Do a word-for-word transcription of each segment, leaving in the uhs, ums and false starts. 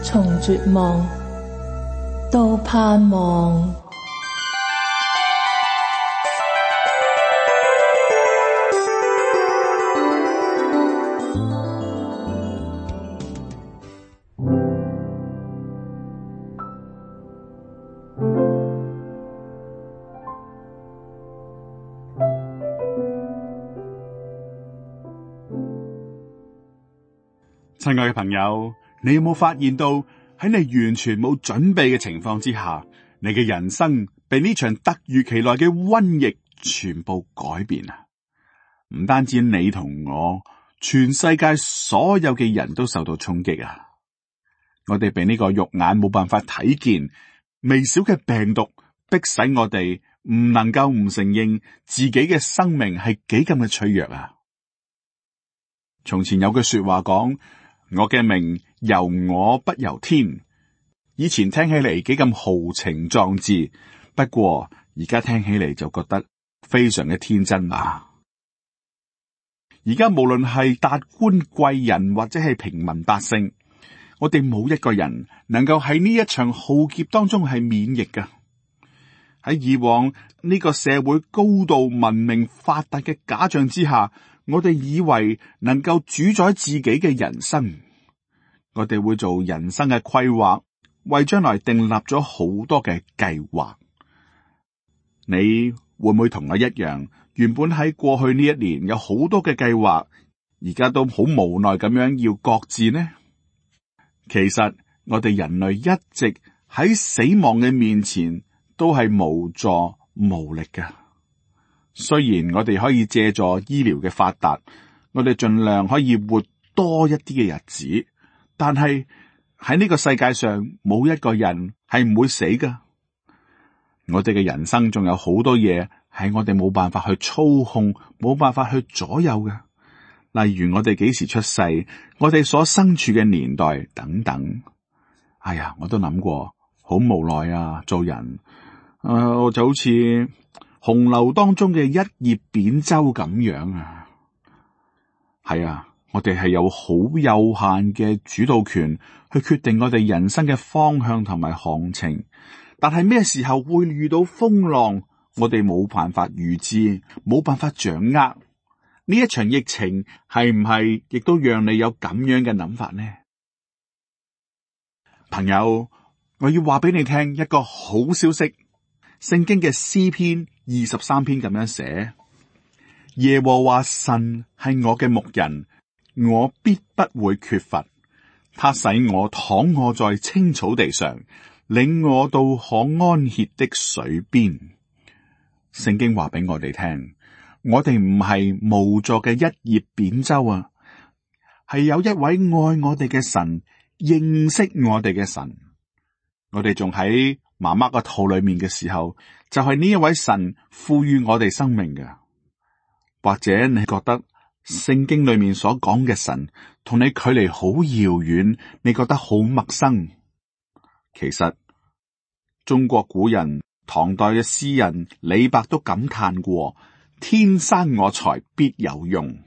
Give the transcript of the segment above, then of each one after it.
從絕望到盼望。親愛嘅朋友，你有冇發現到喺你完全冇準備嘅情況之下，你嘅人生被呢場突如其來嘅瘟疫全部改變啊！唔單止你同我，全世界所有嘅人都受到衝擊啊！我哋被呢個肉眼冇辦法睇見微小嘅病毒迫使我哋唔能夠唔承認自己嘅生命係幾咁嘅脆弱啊！從前有句說話講，我嘅命由我不由天。以前聽起嚟幾咁豪情壯志，不過而家聽起嚟就覺得非常嘅天真啊！而家無論係達官貴人或者係平民百姓，我哋冇一個人能夠喺呢一場浩劫當中係免疫㗎。喺以往呢個社會高度文明發達嘅假象之下，我哋以為能夠主宰自己嘅人生，我哋會做人生嘅規劃，為將來訂立咗好多嘅計劃。你會唔會同我一樣，原本喺過去呢一年有好多嘅計劃，而家都好無奈咁樣要擱置呢？其實我哋人類一直喺死亡嘅面前都係無助無力嘅。雖然我哋可以借助醫療嘅發達，我哋盡量可以活多一啲嘅日子，但係喺呢個世界上冇一個人係唔會死噶。我哋嘅人生仲有好多嘢係我哋冇辦法去操控，冇辦法去左右嘅。例如我哋幾時出世，我哋所身處嘅年代等等。哎呀，我都諗過，好無奈啊！做人，誒、呃，我就好似洪流當中嘅一葉扁舟咁樣啊。係啊，我哋係有好有限嘅主導權去決定我哋人生嘅方向同埋行程，但係咩時候會遇到風浪，我哋冇辦法預知，冇辦法掌握。呢一場疫情係唔係亦都讓你有咁樣嘅諗法呢？朋友，我要話俾你聽一個好消息。聖經嘅詩篇二十三篇咁樣寫：耶和華神係我嘅牧人，我必不會缺乏。他使我躺臥在青草地上，領我到可安歇的水邊。聖經話俾我哋聽，我哋唔係無助嘅一葉扁舟啊，係有一位愛我哋嘅神，認識我哋嘅神。我哋仲喺媽媽個肚裏面嘅時候，就係呢一位神賦予我哋生命嘅。或者你覺得聖經裏面所講嘅神同你距離好遙遠，你覺得好陌生。其實中國古人唐代嘅詩人李白都感嘆過：天生我材必有用。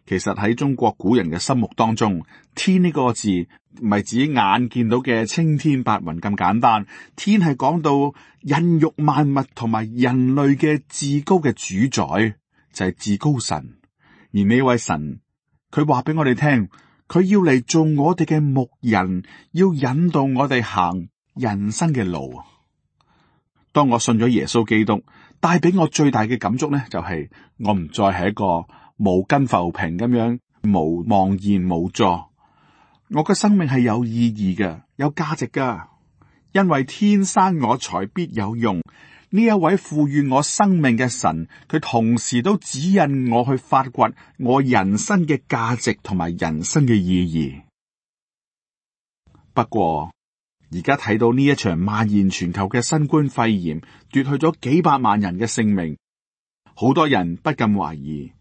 其實喺中國古人嘅心目當中，天呢個字唔係指眼見到嘅青天白雲咁簡單，天係講到孕育萬物同埋人類嘅至高嘅主宰，就係至高神。而呢位神，佢話俾我哋聽，佢要嚟做我哋嘅牧人，要引導我哋行人生嘅路。當我信咗耶穌基督，帶俾我最大嘅感觸呢，就係我唔再係一個無根浮萍咁樣無茫然無助。我嘅生命係有意義嘅，有價值噶，因為天生我材必有用。呢一位賦予我生命嘅神，佢同時都指引我去發掘我人生嘅價值同埋人生嘅意義。不過而家睇到呢一場蔓延全球嘅新冠肺炎，奪去咗幾百萬人嘅性命，好多人不禁懷疑，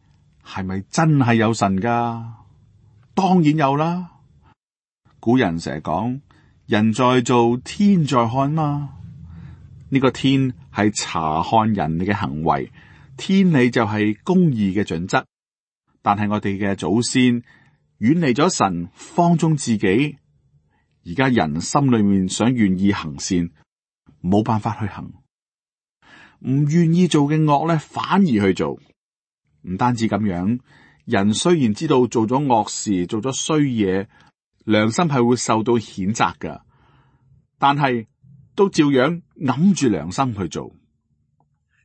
係咪真係有神噶？當然有啦。古人成日講，人在做，天在看嘛。呢個天係查看人嘅行為，天理就係公義嘅準則。但係我哋嘅祖先遠離咗神，放縱自己，而家人心裏面想願意行善，冇辦法去行，唔願意做嘅惡咧，反而去做。唔單止咁樣，人雖然知道做咗惡事，做咗衰嘢，良心係會受到譴責噶，但係都照樣揞住良心去做。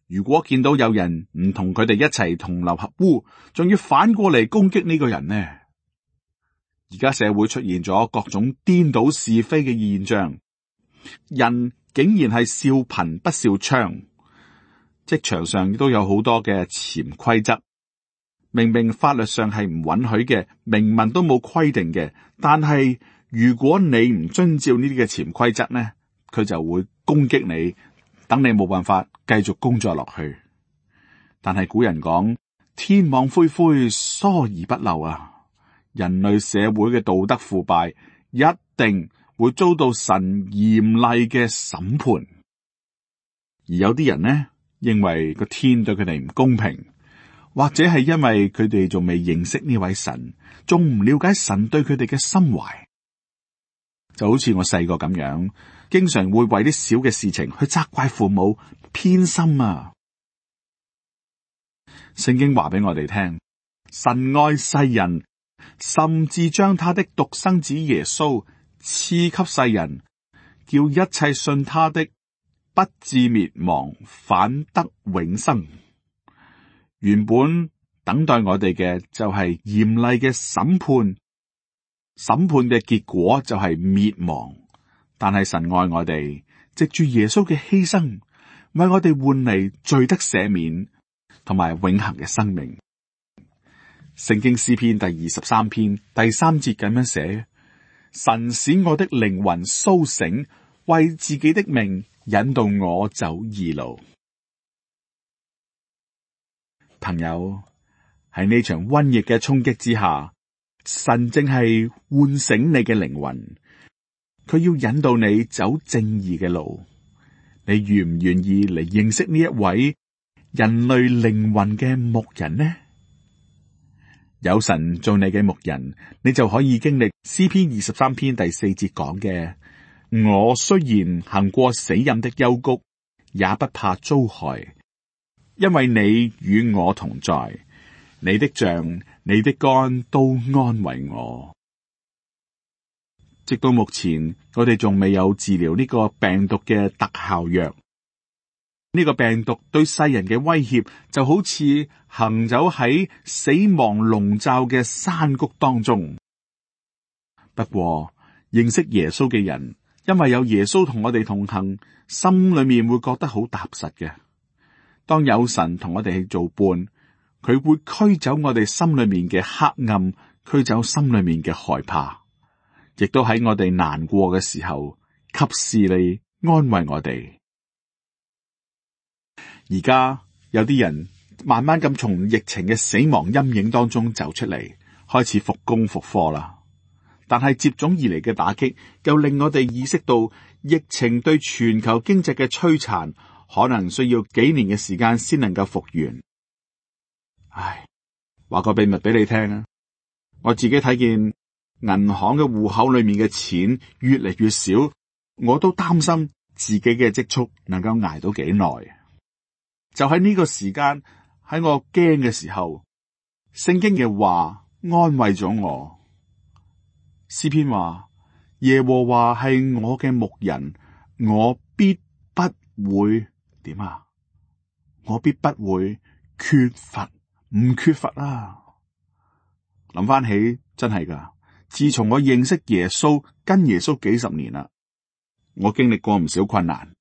如果見到有人唔同佢哋一齊同流合污，仲要反過嚟攻擊呢個人呢？而家社會出現咗各種顛倒是非嘅現象，人竟然係笑貧不笑娼，職場上亦都有好多嘅潛規則，明明法律上係唔允許嘅，明文都冇規定嘅，但係如果你唔遵照呢啲嘅潛規則呢，佢就會攻擊你，等你冇辦法繼續工作落去。但係古人講，天網恢恢，疏而不漏啊！人類社會嘅道德腐敗，一定會遭到神嚴厲嘅審判。而有啲人呢，認為個天對佢哋唔公平，或者係因為佢哋仲未認識呢位神，仲唔了解神對佢哋嘅心懷。就好似我細個咁樣，經常會為啲小嘅事情去責怪父母，偏心啊！聖經話俾我哋聽，神愛世人，甚至將他的獨生子耶穌賜給世人，叫一切信他的不至滅亡，反得永生。原本等待我哋嘅就係嚴厲嘅審判，審判嘅結果就係滅亡。但係神愛我哋，藉住耶穌嘅犧牲，為我哋換嚟罪得赦免同埋永恆嘅生命。聖經詩篇第二十三篇第三節咁樣寫：神使我的靈魂蘇醒，為自己的名引導我走義路。朋友，喺呢場瘟疫嘅衝擊之下，神正係喚醒你嘅靈魂，佢要引導你走正義嘅路。你願唔願意嚟認識呢一位人類靈魂嘅牧人呢？有神做你嘅牧人，你就可以經歷詩篇二十三篇第四節講嘅：我雖然行過死蔭的幽谷，也不怕遭害，因為你與我同在，你的杖、你的竿都安慰我。直到目前，我哋仲未有治療呢個病毒嘅特效藥。呢個病毒對世人嘅威脅就好似行走喺死亡籠罩嘅山谷當中。不過認識耶穌嘅人，因為有耶穌同我哋同行，心裏面會覺得好踏實嘅。當有神同我哋去做伴，佢會驅走我哋心裏面嘅黑暗，驅走心裏面嘅害怕，亦都喺我哋難過嘅時候，及時嚟安慰我哋。而家有啲人慢慢咁從疫情嘅死亡陰影當中走出嚟，開始復工復課啦。但係接踵而嚟嘅打擊，又令我哋意識到疫情對全球經濟嘅摧殘，可能需要幾年嘅時間先能夠復原。唉，話個秘密俾你聽啊！我自己睇見銀行嘅戶口裏面嘅錢越嚟越少，我都擔心自己嘅積蓄能夠捱到幾耐。就喺呢個時間，喺我驚嘅時候，聖經嘅話安慰咗我。詩篇話：耶和華係我嘅牧人，我必不會點啊？我必不會缺乏，唔缺乏啊！諗翻起真係噶，自從我認識耶穌，跟耶穌幾十年啦，我經歷過唔少困難。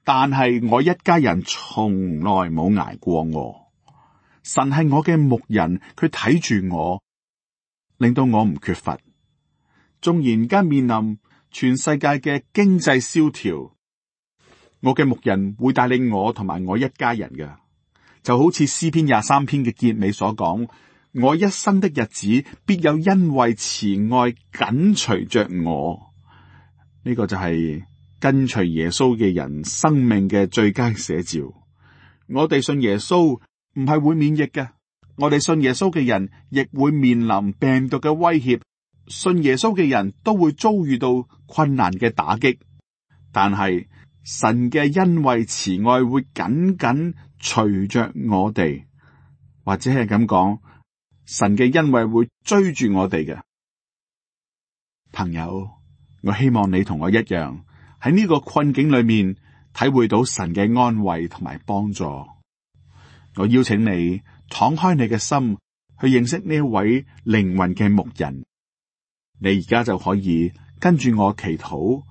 但係我一家人從來冇挨過我，神係我嘅牧人，佢睇住我，令到我唔缺乏。縱然間面臨全世界嘅經濟蕭條，我嘅牧人會帶領我同埋我一家人嘅，就好似詩篇廿三篇嘅結尾所講：我一生的日子必有恩惠慈愛緊隨着我。呢、這個就係跟隨耶穌嘅人生命嘅最佳寫照。我哋信耶穌唔係會免疫嘅，我哋信耶穌嘅人亦會面臨病毒嘅威脅，信耶穌嘅人都會遭遇到困難嘅打擊，但係神嘅恩惠慈愛會緊緊隨着我哋，或者係咁講，神嘅恩惠會追住我哋嘅。朋友，我希望你同我一樣喺呢個困境裏面體會到神嘅安慰同埋幫助。我邀請你敞開你嘅心去認識呢一位靈魂嘅牧人。你而家就可以跟住我祈禱，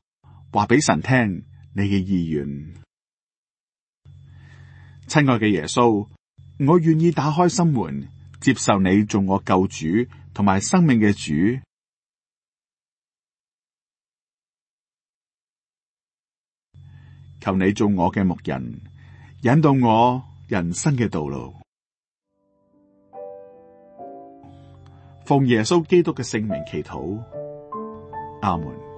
話俾神聽你嘅意願。親愛嘅耶穌，我願意打開心門，接受你做我救主同埋生命嘅主。求你做我嘅牧人，引導我人生嘅道路。奉耶穌基督嘅聖名祈禱，阿門。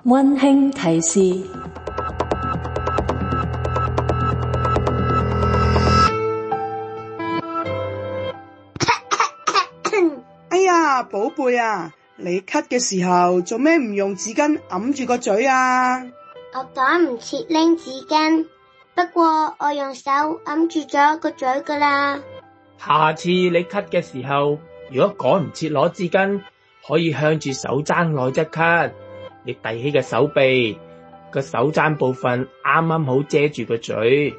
溫馨提示：哎呀，寶貝啊，你咳嘅時候做咩唔用紙巾揞住個嘴啊？我趕唔切拎紙巾，不過我用手揞住咗個嘴噶啦。下次你咳嘅時候，如果趕唔切攞紙巾，可以向住手踭內側咳。你遞起嘅手臂，個手踭部分啱啱好遮住個嘴，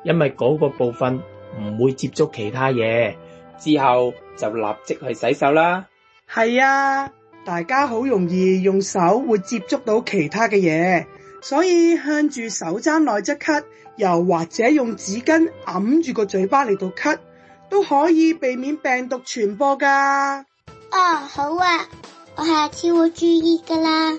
因為嗰個部分唔會接觸其他嘢，之後就立即去洗手啦。係啊，大家好容易用手會接觸到其他嘅嘢，所以向住手踭內側咳，又或者用紙巾揞住個嘴巴嚟到咳，都可以避免病毒傳播噶。哦，好啊，我下次會注意噶啦。